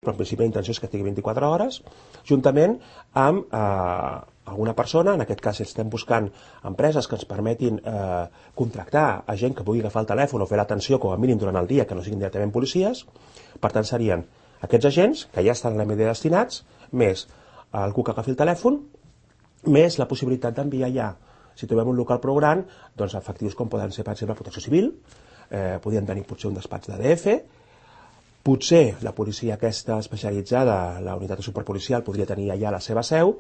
però en principi la intenció és que estigui 24 hores, juntament amb alguna persona, en aquest cas estem buscant empreses que ens permetin contractar a gent que pugui agafar el telèfon o fer l'atenció com a mínim durant el dia, que no siguin directament policies. Per tant, serien aquests agents, que ja estan a l'MD destinats, més algú que agafi el telèfon, més la possibilitat d'enviar ja, si trobem un local prou gran, doncs efectius com poden ser, per exemple, Protecció Civil, podien tenir potser un despatx d'ADF, potser la policia aquesta especialitzada, la unitat de superpolicial, podria tenir allà la seva seu,